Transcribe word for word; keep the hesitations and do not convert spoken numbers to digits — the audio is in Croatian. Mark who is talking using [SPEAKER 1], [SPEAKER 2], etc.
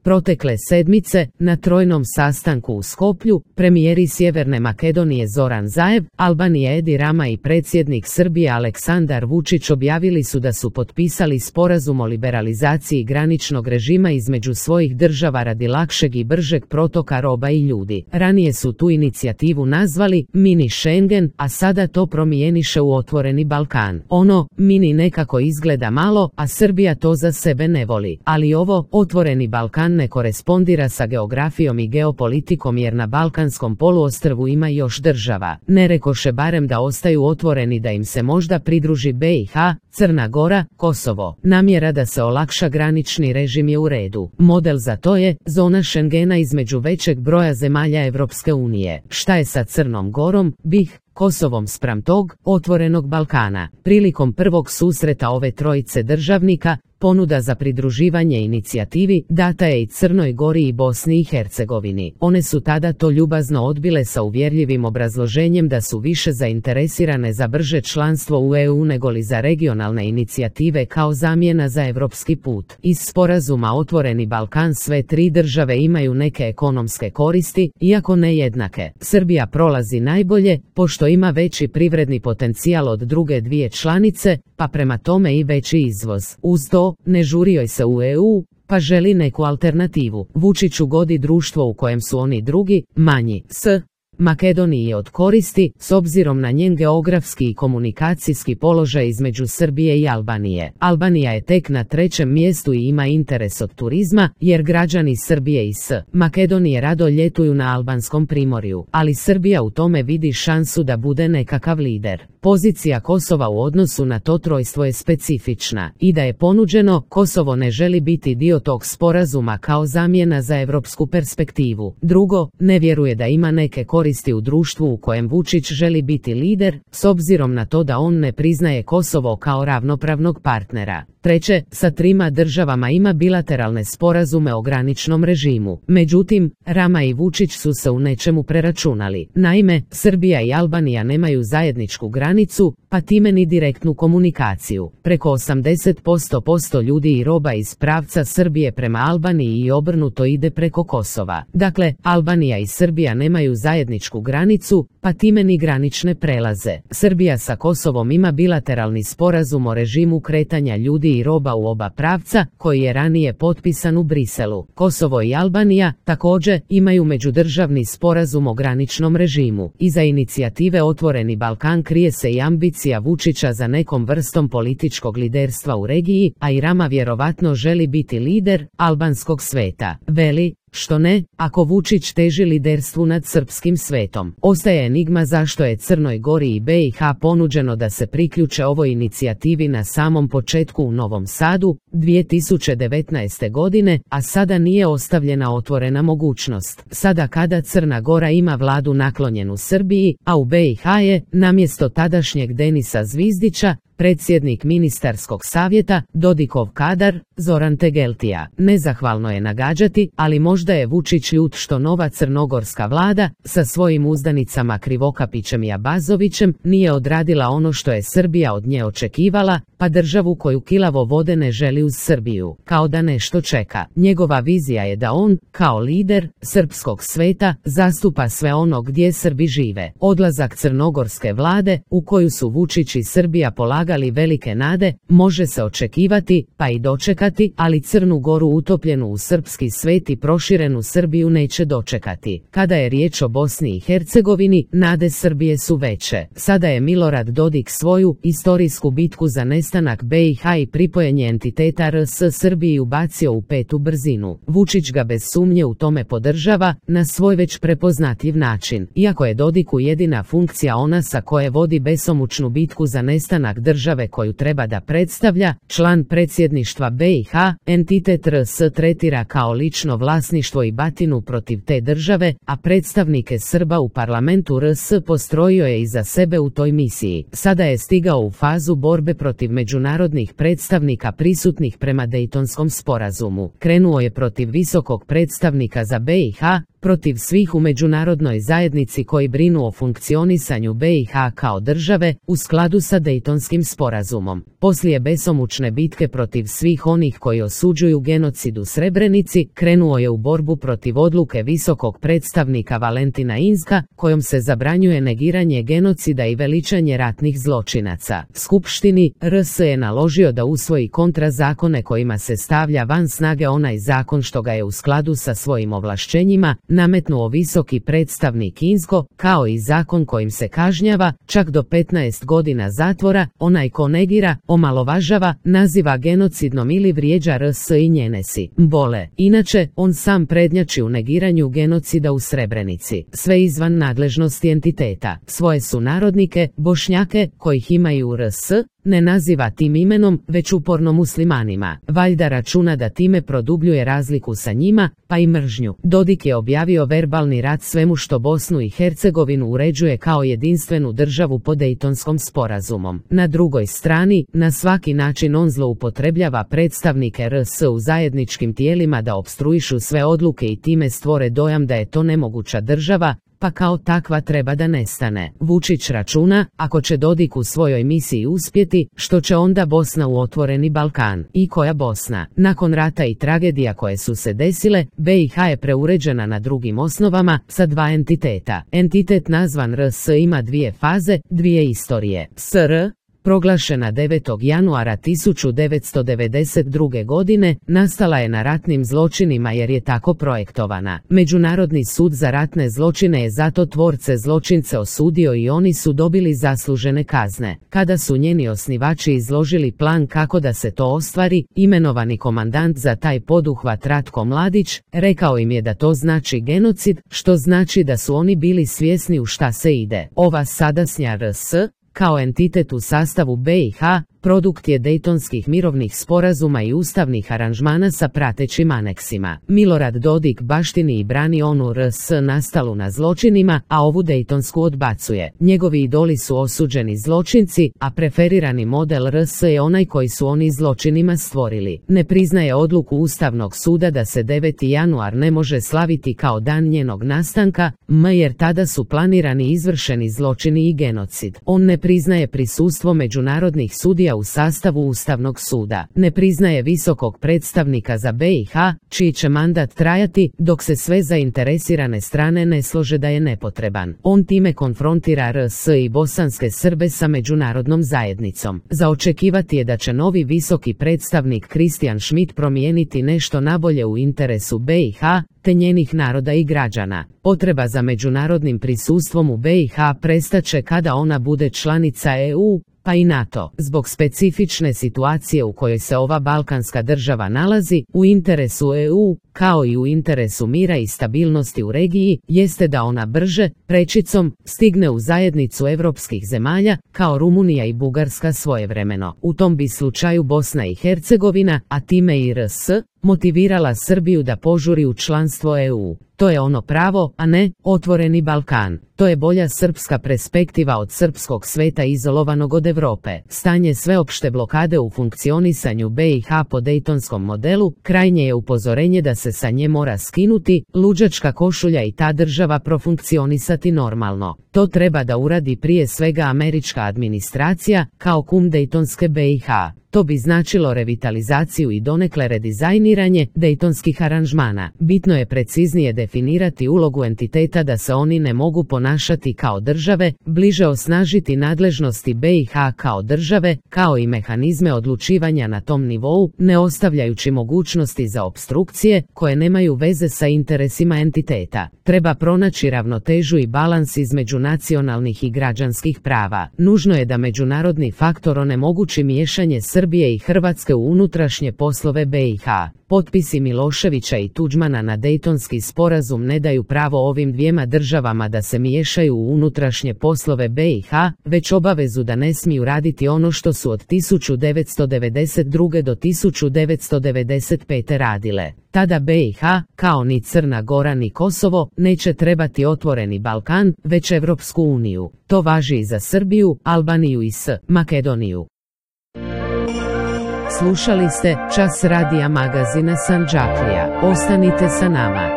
[SPEAKER 1] Protekle sedmice, na trojnom sastanku u Skoplju, premijeri Sjeverne Makedonije Zoran Zaev, Albanije Edi Rama i predsjednik Srbije Aleksandar Vučić objavili su da su potpisali sporazum o liberalizaciji graničnog režima između svojih država radi lakšeg i bržeg protoka roba i ljudi. Ranije su tu inicijativu nazvali mini Schengen, a sada to promijeniše u otvoreni Balkan. Ono, mini nekako izgleda malo, a Srbija to za sebe ne voli. Ali ovo, otvoreni Balkan ne korespondira sa geografijom i geopolitikom jer na Balkanskom poluostrvu ima još država. Ne rekoše barem da ostaju otvoreni da im se možda pridruži B i H, Crna Gora, Kosovo. Namjera da se olakša granični režim je u redu. Model za to je zona Schengena između većeg broja zemalja Evropske unije. Šta je sa Crnom Gorom, B i H, Kosovom spram tog otvorenog Balkana? Prilikom prvog susreta ove trojice državnika, ponuda za pridruživanje inicijativi data je i Crnoj Gori i Bosni i Hercegovini. One su tada to ljubazno odbile sa uvjerljivim obrazloženjem da su više zainteresirane za brže članstvo u E U negoli za regionalne inicijative kao zamjena za evropski put. Iz sporazuma Otvoreni Balkan sve tri države imaju neke ekonomske koristi, iako ne jednake. Srbija prolazi najbolje, pošto ima veći privredni potencijal od druge dvije članice, pa prema tome i veći izvoz. Uz to, ne žuri joj se u E U, pa želi neku alternativu. Vučiću godi društvo u kojem su oni drugi, manji. S Makedoniji je od koristi, s obzirom na njen geografski i komunikacijski položaj između Srbije i Albanije. Albanija je tek na trećem mjestu i ima interes od turizma, jer građani Srbije i S Makedonije rado ljetuju na albanskom primorju, ali Srbija u tome vidi šansu da bude nekakav lider. Pozicija Kosova u odnosu na to trojstvo je specifična i da je ponuđeno, Kosovo ne želi biti dio tog sporazuma kao zamjena za evropsku perspektivu. Drugo, ne vjeruje da ima neke koristi u društvu u kojem Vučić želi biti lider, s obzirom na to da on ne priznaje Kosovo kao ravnopravnog partnera. Treće, sa trima državama ima bilateralne sporazume o graničnom režimu. Međutim, Rama i Vučić su se u nečemu preračunali. Naime, Srbija i Albanija nemaju zajedničku granicu, pa time ni direktnu komunikaciju. Preko osamdeset posto ljudi i roba iz pravca Srbije prema Albaniji i obrnuto ide preko Kosova. Dakle, Albanija i Srbija nemaju zajedničku granicu, pa time ni granične prelaze. Srbija sa Kosovom ima bilateralni sporazum o režimu kretanja ljudi i roba u oba pravca, koji je ranije potpisan u Briselu. Kosovo i Albanija, također, imaju međudržavni sporazum o graničnom režimu. Iza inicijative Otvoreni Balkan krije se i ambicija Vučića za nekom vrstom političkog liderstva u regiji, a i Rama vjerovatno želi biti lider albanskog sveta. Veli, što ne, ako Vučić teži liderstvu nad srpskim svetom. Ostaje enigma zašto je Crnoj Gori i B i H ponuđeno da se priključe ovoj inicijativi na samom početku u Novom Sadu, dvije tisuće devetnaeste. godine, a sada nije ostavljena otvorena mogućnost. Sada kada Crna Gora ima vladu naklonjenu Srbiji, a u B i H je, namjesto tadašnjeg Denisa Zvizdića, predsjednik ministarskog savjeta, Dodikov kadar, Zoran Tegeltija. Nezahvalno je nagađati, ali možda je Vučić ljut što nova crnogorska vlada, sa svojim uzdanicama Krivokapićem i Abazovićem, nije odradila ono što je Srbija od nje očekivala, pa državu koju kilavo vode ne želi uz Srbiju, kao da nešto čeka. Njegova vizija je da on, kao lider srpskog sveta, zastupa sve ono gdje Srbi žive. Odlazak crnogorske vlade, u koju su Vučić i Srbija polagali velike nade, može se očekivati, pa i dočekati, ali Crnu Goru utopljenu u srpski svet i proširenu Srbiju neće dočekati. Kada je riječ o Bosni i Hercegovini, nade Srbije su veće. Sada je Milorad Dodik svoju istorijsku bitku za nestanak B i H i pripojenje entiteta R S Srbiji ubacio u petu brzinu. Vučić ga bez sumnje u tome podržava, na svoj već prepoznatljiv način. Iako je Dodiku jedina funkcija ona sa koje vodi besomučnu bitku za nestanak države koju treba da predstavlja, član predsjedništva B i H, entitet R S tretira kao lično vlasništvo i batinu protiv te države, a predstavnike Srba u parlamentu R S postrojio je iza sebe u toj misiji. Sada je stigao u fazu borbe protiv međunarodnih predstavnika prisutnih prema Dejtonskom sporazumu. Krenuo je protiv visokog predstavnika za B i H, protiv svih u međunarodnoj zajednici koji brinu o funkcionisanju B i H kao države u skladu sa Dejtonskim sporazumom. Poslije besomučne bitke protiv svih onih koji osuđuju genocid u Srebrenici, krenuo je u borbu protiv odluke visokog predstavnika Valentina Inzka, kojom se zabranjuje negiranje genocida i veličanje ratnih zločinaca. Skupštini R S je naložio da usvoji kontrazakone kojima se stavlja van snage onaj zakon što ga je u skladu sa svojim ovlašćenjima nametnuo visoki predstavnik Inzko, kao i zakon kojim se kažnjava, čak do petnaest godina zatvora, onaj ko negira, omalovažava, naziva genocidnom ili vrijeđa R S i njene simbole. Inače, on sam prednjači u negiranju genocida u Srebrenici, sve izvan nadležnosti entiteta. Svoje sunarodnike, Bošnjake, kojih imaju u R S, ne naziva tim imenom, već uporno muslimanima. Valjda računa da time produbljuje razliku sa njima, pa i mržnju. Dodik je objavio verbalni rat svemu što Bosnu i Hercegovinu uređuje kao jedinstvenu državu pod Dejtonskom sporazumom. Na drugoj strani, na svaki način on zloupotrebljava predstavnike R S u zajedničkim tijelima da opstruišu sve odluke i time stvore dojam da je to nemoguća država, pa kao takva treba da nestane. Vučić računa, ako će Dodik u svojoj misiji uspjeti, što će onda Bosna u otvoreni Balkan. I koja Bosna? Nakon rata i tragedija koje su se desile, B i H je preuređena na drugim osnovama, sa dva entiteta. Entitet nazvan R S ima dvije faze, dvije istorije. S R proglašena devetog januara tisuću devetsto devedeset druge. godine, nastala je na ratnim zločinima jer je tako projektovana. Međunarodni sud za ratne zločine je zato tvorce zločince osudio i oni su dobili zaslužene kazne. Kada su njeni osnivači izložili plan kako da se to ostvari, imenovani komandant za taj poduhvat Ratko Mladić, rekao im je da to znači genocid, što znači da su oni bili svjesni u šta se ide. Ova sadašnja R S, kao entitet u sastavu B i H, produkt je Dejtonskih mirovnih sporazuma i ustavnih aranžmana sa pratećim aneksima. Milorad Dodik baštini i brani onu R S nastalu na zločinima, a ovu Dejtonsku odbacuje. Njegovi idoli su osuđeni zločinci, a preferirani model R S je onaj koji su oni zločinima stvorili. Ne priznaje odluku Ustavnog suda da se deveti januar ne može slaviti kao dan njenog nastanka, m jer tada su planirani izvršeni zločini i genocid. On ne priznaje prisustvo međunarodnih sudija u sastavu Ustavnog suda. Ne priznaje visokog predstavnika za B i H, čiji će mandat trajati, dok se sve zainteresirane strane ne slože da je nepotreban. On time konfrontira R S i bosanske Srbe sa međunarodnom zajednicom. Za očekivati je da će novi visoki predstavnik Kristijan Schmidt promijeniti nešto nabolje u interesu B i H, te njenih naroda i građana. Potreba za međunarodnim prisustvom u B i H prestaće kada ona bude članica E U, pa i NATO. Zbog specifične situacije u kojoj se ova balkanska država nalazi, u interesu E U, kao i u interesu mira i stabilnosti u regiji, jeste da ona brže, prečicom, stigne u zajednicu evropskih zemalja, kao Rumunija i Bugarska svojevremeno. U tom bi slučaju Bosna i Hercegovina, a time i R S, motivirala Srbiju da požuri u članstvo E U. To je ono pravo, a ne otvoreni Balkan. To je bolja srpska perspektiva od srpskog sveta izolovanog od Europe. Stanje sveopšte blokade u funkcionisanju B i H po Dejtonskom modelu, krajnje je upozorenje da se sa nje mora skinuti, luđačka košulja i ta država profunkcionisati normalno. To treba da uradi prije svega američka administracija, kao kum Dejtonske B i H. To bi značilo revitalizaciju i donekle redizajniranje dejtonskih aranžmana. Bitno je preciznije definirati ulogu entiteta da se oni ne mogu ponašati kao države, bliže osnažiti nadležnosti B i H kao države, kao i mehanizme odlučivanja na tom nivou, ne ostavljajući mogućnosti za opstrukcije koje nemaju veze sa interesima entiteta. Treba pronaći ravnotežu i balans između nacionalnih i građanskih prava. Nužno je da međunarodni faktor onemogući miješanje Srbije i Hrvatske u unutrašnje poslove B i H. Potpisi Miloševića i Tuđmana na Dejtonski sporazum ne daju pravo ovim dvijema državama da se miješaju u unutrašnje poslove B i H, već obavezu da ne smiju raditi ono što su od tisuću devetsto devedeset druge do tisuću devetsto devedeset pete radile. Tada B i H, kao ni Crna Gora ni Kosovo, neće trebati otvoreni Balkan, već Evropsku uniju. To važi i za Srbiju, Albaniju i S. Makedoniju. Slušali ste Čas radija magazina Sandžaklija. Ostanite sa nama.